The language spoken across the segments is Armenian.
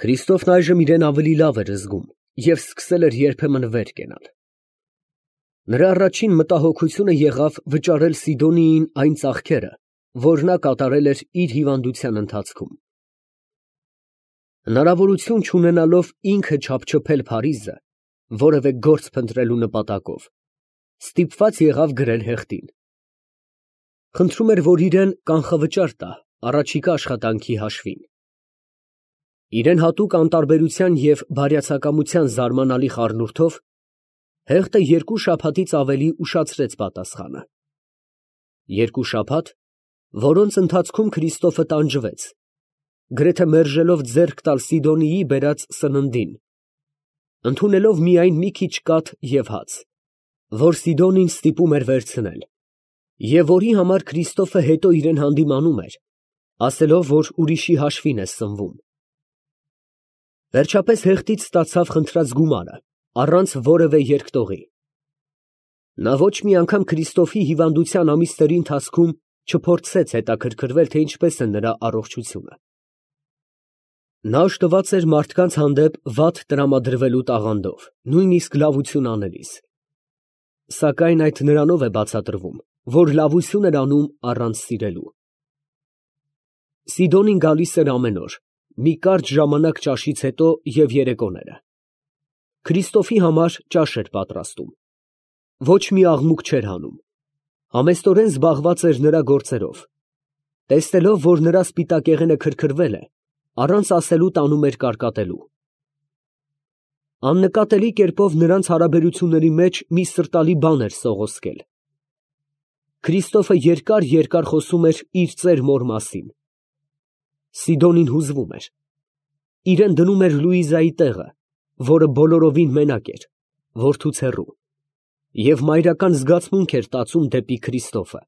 Քրիստոֆն այժմ իրեն ավելի լավ էր զգում և սկսել էր երբեմն վեր կենալ։ Նրա առաջին մտահոգությունը եղավ վճարել Սիդոնիին այն ծախքերը, որ նա կատարել էր իր հիվանդության ընթացքում։ Հնարավորություն չունենալով ինքը չափչփել Փարիզը որևէ գործ փնտրելու նպատակով, ստիպված եղավ գրել հեղտին. խնդրում էր, որ իրեն կանխավճար տա առաջիկա աշխատանքի հաշվին։ Իրեն հատուկ անտարբերության և բարյացակամության զարմանալի խառնուրդով հեղտը 2 շաբաթից ավելի ուշացրեց պատասխանը։ 2 շաբաթ, որոնց ընթացքում Քրիստոֆը տանջվեց, գրեթե մերժելով ձեռք տալ Սիդոնիի բերած սննդին, ընդունելով միայն մի քիչ կաթ և հաց, որ Սիդոնին ստիպում էր վերցնել, և որի համար Քրիստոֆը հետո իրեն հանդիմանում էր, ասելով, որ ուրիշի հաշվին է սնվում։ Վերջապես հեղտից ստացավ խնդրած գումարը, առանց որևէ երկտողի։ Նա ոչ մի անգամ Քրիստոֆի հիվանդության ամիսների ընթացքում չփորձեց հետաքրքրվել, թե ինչպես է նրա առողջությունը։ Նա օժտված էր մարդկանց հանդեպ վատ տրամադրվելու տաղանդով, նույնիսկ լավություն անելիս։ Սակայն այդ նրանով է բացատրվում, որ լավություն էր անում առանց սիրելու։ Սիդոնին գալիս էր ամեն օր, մի կարճ ժամանակ ճաշից հետո և երեկոները։ Քրիստոֆի համար ճաշ էր պատրաստում։ Ոչ մի աղմուկ չէր հանում։ Համեստորեն զբաղված էր նրա գործերով։ Տեսնելով, որ նրա սպիտակեղենը քրքրվել է, առանց ասելու տանում էր կարկատելու։ Աննկատելի կերպով նրանց հարաբերությունների մեջ մի սրտալի բան էր սողոսկել։ Քրիստոֆը երկար խոսում էր իր ծեր մոր մասին։ Սիդոնին հուզվում էր։ Իրեն դնում էր Լուիզայի տեղը, որը բոլորովին մենակ էր, որդուց հեռու, և մայրական զգացմունք էր տածում դեպի Քրիստոֆը։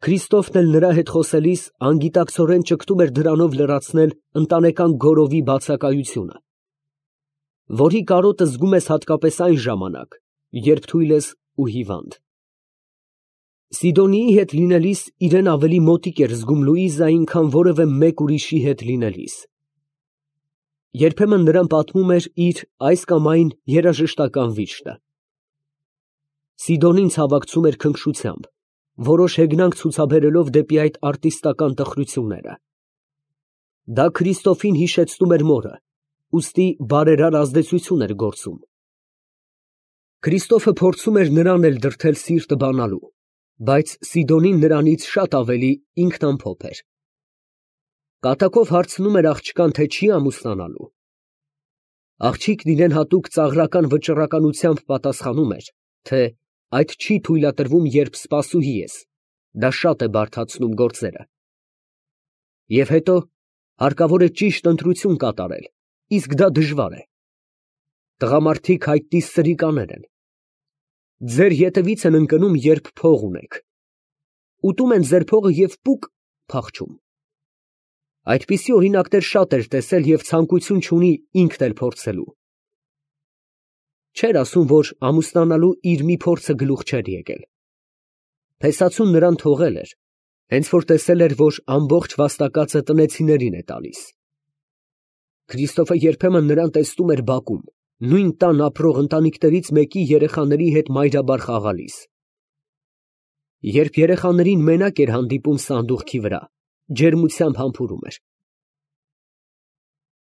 Քրիստոֆն էլ նրա հետ խոսելիս անգիտակցորեն ճգտում էր դրանով լրացնել ընտանեկան գորովի բացակայությունը, որի կարոտը զգում ես հատկապես այն ժամանակ, երբ թույլ ես ու հիվանդ։ Սիդոնիի հետ լինելիս իրեն ավելի մոտիկ էր զգում Լուիզային, քան որևէ մեկ ուրիշի հետ լինելիս։ Երբեմն նրան պատմում էր իր այս կամ այն երաժշտական վիշտը։ Սիդոնին ցավակցում էր քնքշությամբ, որոշ հեգնանք ցուցաբերելով դեպի այդ արտիստական տխրությունները։ Դա Քրիստոֆին հիշեցնում էր մորը, ուստի բարերար ազդեցություն էր գործում։ Քրիստոֆը փորձում էր նրան էլ դրդել սիրտը բանալու, բայց Սիդոնին նրանից շատ ավելի ինքնամփոփ էր։ Կատակով հարցնում էր աղջկան, թե չի ամուսնանալու։ Աղջիկն իրեն հատուկ ծաղրական վճռականությամբ պատասխանում էր, թե այդ չի թույլատրվում, երբ սպասուհի ես, դա շատ է բարդացնում գործերը։ Եվ հետո հարկավոր է ճիշտ ընտրություն կատարել, իսկ դա դժվար է։ Տղամարդիկ հայտնի սրիկաներ են։ Ձեր ետևից են ընկնում, երբ փող ունեք։ Ուտում են ձեր փողը և պուկ փախչում։ Այդպիսի օրինակներ շատ էր տեսել և ցանկություն չունի ինքն էլ փորձելու։ Չէր ասում, որ ամուսնանալու իր մի փորձը գլուխ չէր եկել։ Փեսացուն նրան թողել էր, հենց որ տեսել էր, որ ամբողջ վաստակածը տնեցիներին է տալիս։ Քրիստոֆը երբեմն նրան տեսնում էր բակում, նույն տան ապրող ընտանիքներից մեկի երեխաների հետ մայրաբար խաղալիս։ Երբ երեխաներին մենակ էր հանդիպում սանդուղքի վրա, ջերմությամբ համբուրում էր։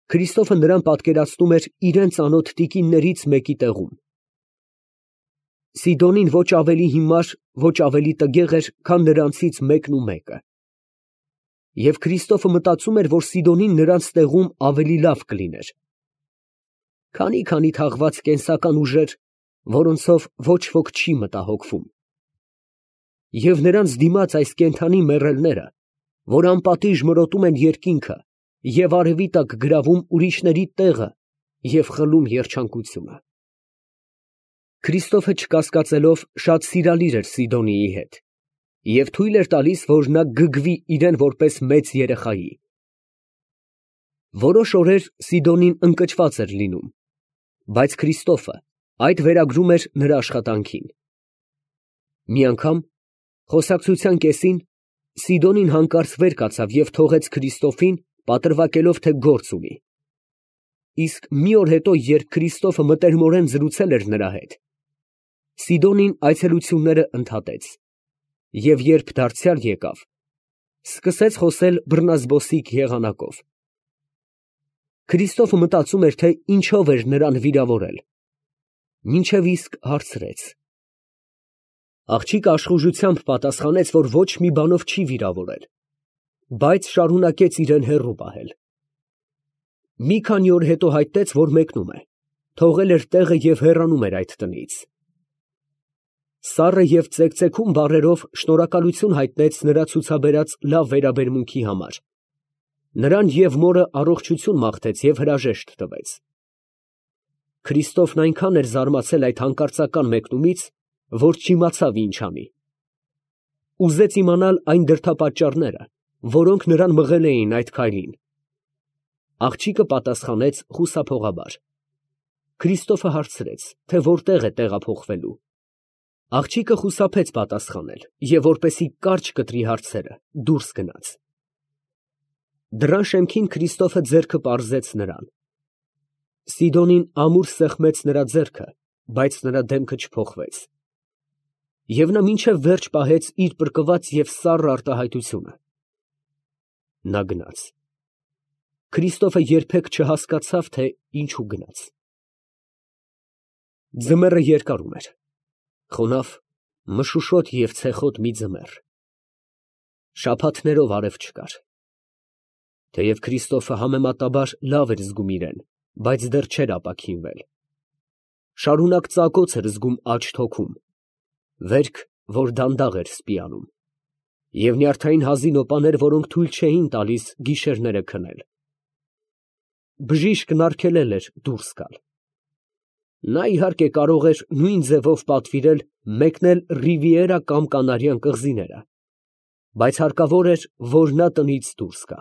Քրիստոֆը նրան պատկերացնում էր իրան ծանոթ տիկիններից մեկի տեղում։ Սիդոնին ոչ ավելի հիմար, ոչ ավելի տգեղ էր, քան նրանցից մեկն ու մեկը։ Եվ Քրիստոֆը մտածում էր, որ Սիդոնին նրանց տեղում ավելի լավ կլիներ։ Քանի թաղված կենսական ուժեր, որոնցով ոչ ոք չի մտահոգվում։ Եվ նրանց դիմաց այս կենդանի մեռելները, որ անպատիժ մրոտում են երկինքը և արևի տակ գրավում ուրիշների տեղը և խլում երջանկությունը։ Քրիստոֆը չկասկածելով շատ սիրալիր էր Սիդոնիի հետ և թույլ էր տալիս, որ նա գգվի իրեն որպես մեծ երեխայի։ Որոշ օրեր Սիդոնին ընկճված էր լինում, բայց Քրիստոֆը այդ վերագրում էր նրա աշխատանքին։ Մի անգամ, խոսակցության կեսին, Սիդոնին հանկարծ վեր կացավ և թողեց Քրիստոֆին, պատրվակելով, թե գործ ունի։ Իսկ մի օր հետո, երբ Քրիստոֆը մտերմորեն զրուցել էր նրա հետ, Սիդոնին այցելությունները ընդհատեց, և երբ դարձյալ եկավ, սկսեց խոսել բռնազբոսիկ եղանակով։ Քրիստոֆը մտածում էր, թե ինչով էր նրան վիրավորել, մինչև իսկ հարցրեց։ Աղջիկը աշխուժությամբ պատասխանեց, որ ոչ մի բանով չի վիրավորել, բայց շարունակեց իրեն հեռու պահել։ Մի քանի օր հետո հայտնեց, որ մեկնում է, թողել էր տեղը և հեռանում էր այդ տնից։ Սառը և ծեքծեքում բառերով շնորհակալություն հայտնեց նրա ցուցաբերած լավ վերաբերմունքի համար, նրան և մորը առողջություն մաղթեց և հրաժեշտ տվեց։ Քրիստոֆն այնքան էր զարմացել այդ հանկարծական մեկնումից, որ չիմացավ ինչ անի։ Ուզեց իմանալ այն դրդապատճառները, որոնք նրան մղել էին այդ քայլին։ Աղջիկը պատասխանեց խուսափողաբար։ Քրիստոֆը հարցրեց, թե որտեղ է տեղափոխվելու։ Աղջիկը խուսափեց պատասխանել և, որպեսզի կարճ կտրի հարցերը, դուրս գնաց։ Դռան շեմքին Քրիստոֆը ձեռքը պարզեց նրան։ Սիդոնին ամուր սեղմեց նրա ձեռքը, բայց նրա դեմքը չփոխվեց։ Եվ նա մինչև վերջ պահեց իր պրկված և սառը արտահայտությունը։ Նա գնաց։ Քրիստոֆը երբեք չհասկացավ, թե ինչու գնաց։ Ձմեռը երկարում էր, խոնավ, մշուշոտ և ցեխոտ մի ձմեռ։ Շաբաթներով արև չկար։ Թեև Քրիստոֆը համեմատաբար լավ էր զգում իրեն, բայց դեռ չէր ապաքինվել։ Շարունակ ծակոց էր զգում աջ թոքում, վերք, որ դանդաղ էր սպիանում, և նյարդային հազին օպաներ, որոնք թույլ չէին տալիս գիշերները քնել։ Բժիշկն արգելել էր դուրս գալ։ Նա, իհարկե, կարող էր նույն ձևով պատվիրել մեկնել Ռիվիերա կամ Կանարյան կղզիները, բայց հարկավոր էր, որ նա տնից դուրս գա։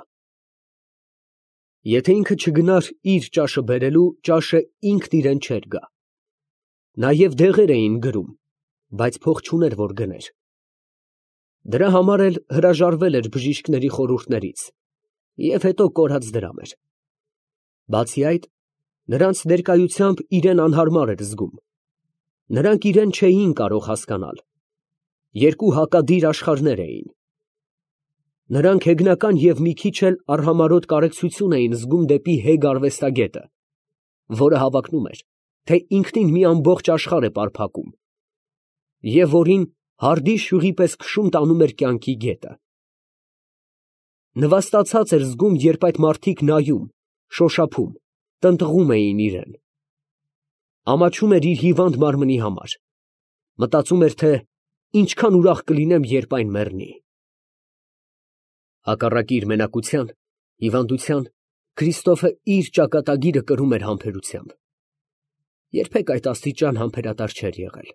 Եթե ինքը չգնար իր ճաշը բերելու, ճաշը ինքն իրան չէր գա։ Նաև դեղեր էին գրում, բայց փող չուներ, որ գներ։ Դրա համար էլ հրաժարվել էր բժիշկների խորհուրդներից և հետո կորած դրամ էր։ Բացի այդ, նրանց ներկայությամբ իրեն անհարմար էր զգում։ Նրանք իրեն չէին կարող հասկանալ։ Երկու հակադիր աշխարհներ էին։ Նրանք հեգնական և մի քիչ էլ արհամարհոտ կարեկցություն էին զգում դեպի հեգ արվեստագետը, որը հավակնում էր, թե ինքնին մի ամբողջ աշխարհ է պարփակում, և որին հարդի շյուղի պես քշում տանում էր կյանքի գետը։ Նվաստացած էր զգում, երբ այդ մարդիկ նայում, շոշափում, տնտղում էին իրան։ Ամաչում էր իր հիվանդ մարմնի համար։ Մտածում էր, թե ինչքան ուրախ կլինեմ, երբ այն մեռնի։ Հակառակ իր մենակության, հիվանդության, Քրիստոֆը իր ճակատագիրը կրում էր համբերությամբ։ Երբեք այդ աստիճան համբերատար չէր եղել։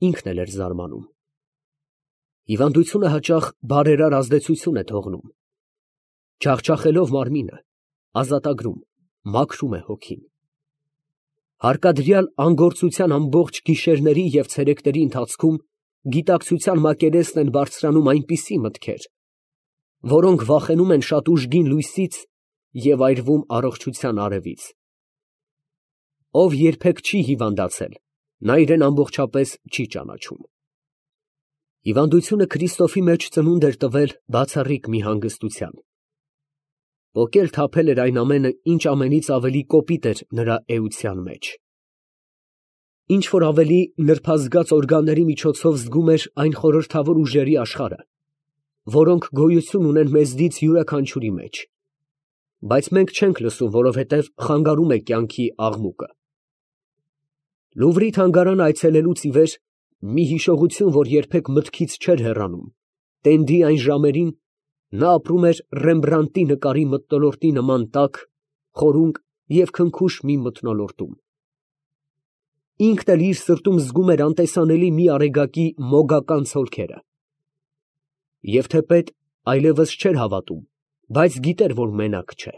Ինքն էլ էր զարմանում։ Հիվանդությունը հաճախ բարերար ազդեցություն է թողնում։ Ջախջախելով մարմինը, ազատագրում, մաքրում է հոգին։ Հարկադրյալ անգործության ամբողջ գիշերների և ցերեկների ընթացքում գիտակցության մակերեսն են բարձրանում այնպիսի մտքեր, որոնք վախենում են շատ ուժգին լույսից և այրվում առողջության արևից։ Ով երբեք չի հիվանդացել, նա իրեն ամբողջապես չի ճանաչում։ Հիվանդությունը Քրիստոֆի մեջ ծնունդ էր տվել բացառիկ մի հանգստության։ Պոկել թափել էր այն ամենը, ինչ ամենից ավելի կոպիտ էր նրա էության մեջ։ Ինչ֊որ ավելի նրբազգաց օրգանների միջոցով զգում էր այն խորհրդավոր ուժերի աշխարհը, որոնք գոյություն ունեն մեզնից յուրաքանչյուրի մեջ, բայց մենք չենք լսում, որովհետև խանգարում է կյանքի աղմուկը։ Լուվրի թանգարանը այցելելուց ի վեր մի հիշողություն, որ երբեք մտքից չէր հեռանում, տենդի այն ժամերին նա ապրում էր Ռեմբրանդտի նկարի մթնոլորտի նման տաք, խորունկ և քնքուշ մի մթնոլորտում։ Ինքն էլ իր սրտում զգում էր անտեսանելի մի արեգակի մոգական ցոլքերը։ Եվ թեպետ այլևս չէր հավատում, բայց գիտեր, որ մենակ չէ։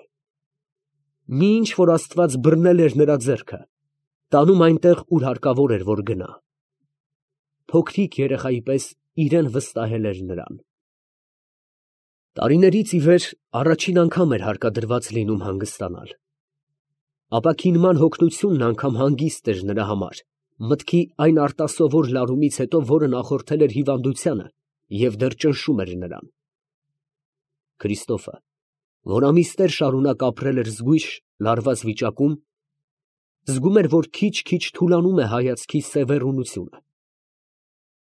Մի ինչ, որ Աստված բռնել էր նրա ձեռքը, տանում այնտեղ, ուր հարկավոր էր, որ գնա։ Փոքրիկ երեխայի պես իրան վստահել էր նրան։ Տարիներից ի վեր առաջին անգամ էր հարկադրված լինում հանգստանալ։ Ապաքինման հոգնությունն անգամ հանգիստ էր նրա համար, մտքի այն արտասովոր լարումից հետո, որը նախորդել էր հիվանդությանը և դեռ ճնշում էր նրան։ Քրիստոֆը, որ ամիսներ շարունակ ապրել էր զգույշ, լարված վիճակում, զգում էր, որ քիչ-քիչ թուլանում է հայացքի սևեռունությունը։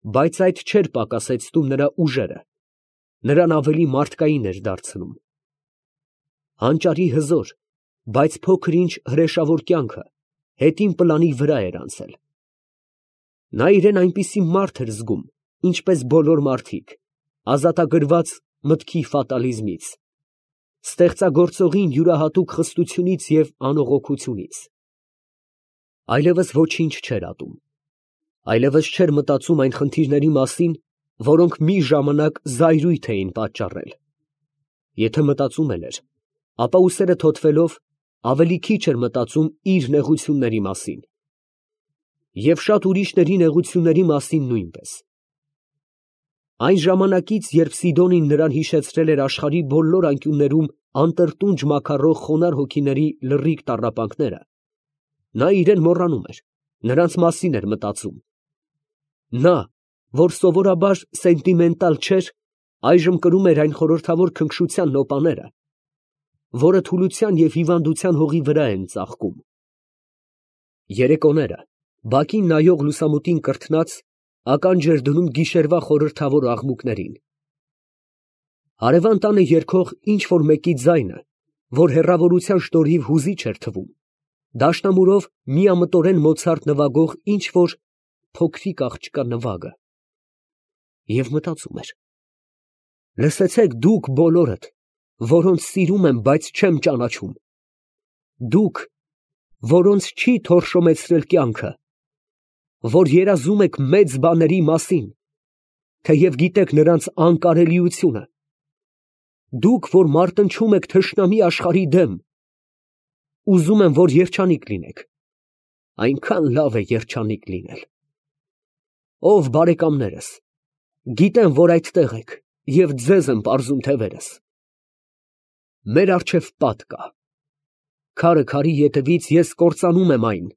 Բայց այդ չէր պակասեցնում նրա ուժերը, նրան ավելի մարդկային էր դարձնում։ Հանճարի հզոր, բայց փոքր-ինչ հրեշավոր կյանքը հետին պլանի վրա էր անցել։ Նա իրեն այնպիսի մարդ էր զգում, ինչպես բոլոր մարդիկ, ազատագրված մտքի ֆատալիզմից, ստեղծագործողին յուրահատուկ խստությունից և անողոքությունից։ Այլևս ոչինչ չէր ատում, այլևս չէր մտածում այն խնդիրների մասին, որոնք մի ժամանակ զայրույթ էին պատճառել։ Եթե մտածում էլ էր, ապա ուսերը թոթվելով ավելի քիչ էր մտածում իր նեղությունների մասին և շատ ուրիշների նեղությունների մասին նույնպես։ Այն ժամանակից, երբ Սիդոնին նրան հիշեցրել էր աշխարհի բոլոր անկյուններում անտրտունջ մաքարող խոնարհ հոգիների լռիկ տառապանքները, նա իրեն մոռանում էր, նրանց մասին էր մտածում։ Նա, որ սովորաբար սենտիմենտալ չէր, այժմ կրում էր այն խորհրդավոր քնքշության նոպաները, որը թուլության և հիվանդության հողի վրա են ծաղկում։ Երեկոները, բակին նայող լուսամուտին կրթնած, ականջ էր դնում գիշերվա խորհրդավոր աղմուկներին։ Հարևան տանը երգող ինչ֊որ մեկի ձայնը, որ հեռավորության շնորհիվ հուզիչ էր թվում, դաշնամուրով միամտորեն Մոցարտ նվագող ինչ֊որ փոքրիկ աղջկա նվագը։ Եվ մտածում էր. «Լսեցեք դուք բոլորդ, որոնց սիրում եմ, բայց չեմ ճանաչում, դուք, որոնց չի թորշոմեցրել կյանքը, որ երազում եք մեծ բաների մասին, թեև գիտեք նրանց անկարելիությունը, դուք, որ մարտնչում եք թշնամի աշխարհի դեմ, ուզում եմ, որ երջանիկ լինեք, այնքան լավ է երջանիկ լինել։ Ով բարեկամներս, գիտեմ, որ այդտեղ եք և ձեզ եմ պարզում թևերս։ Մեր առջև պատ կա, քարը քարի ետևից ես կործանում եմ այն,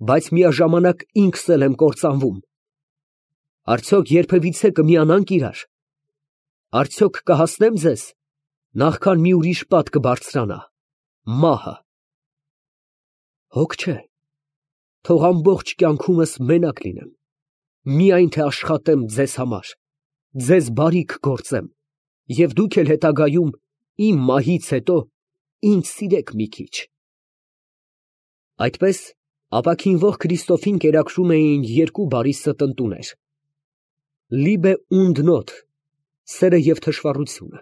բայց միաժամանակ ինքս էլ եմ կործանվում։ Արդյոք երբևիցե կմիանանք իրար, արդյոք կհասնեմ ձեզ, նախքան մի ուրիշ պատ կբարձրանա, մահը։ Հոգ չէ, թող ամբողջ կյանքումս մենակ լինեմ, միայն թե աշխատեմ ձեզ համար, ձեզ բարիք գործեմ, և դուք էլ հետագայում իմ մահից հետո ինձ սիրեք մի քիչ»։ Այդպես ապաքինվող Քրիստոֆին կերակրում էին երկու բարի ստընտուներ. «Լիբե ունդ նոթ» սերը և թշվառությունը։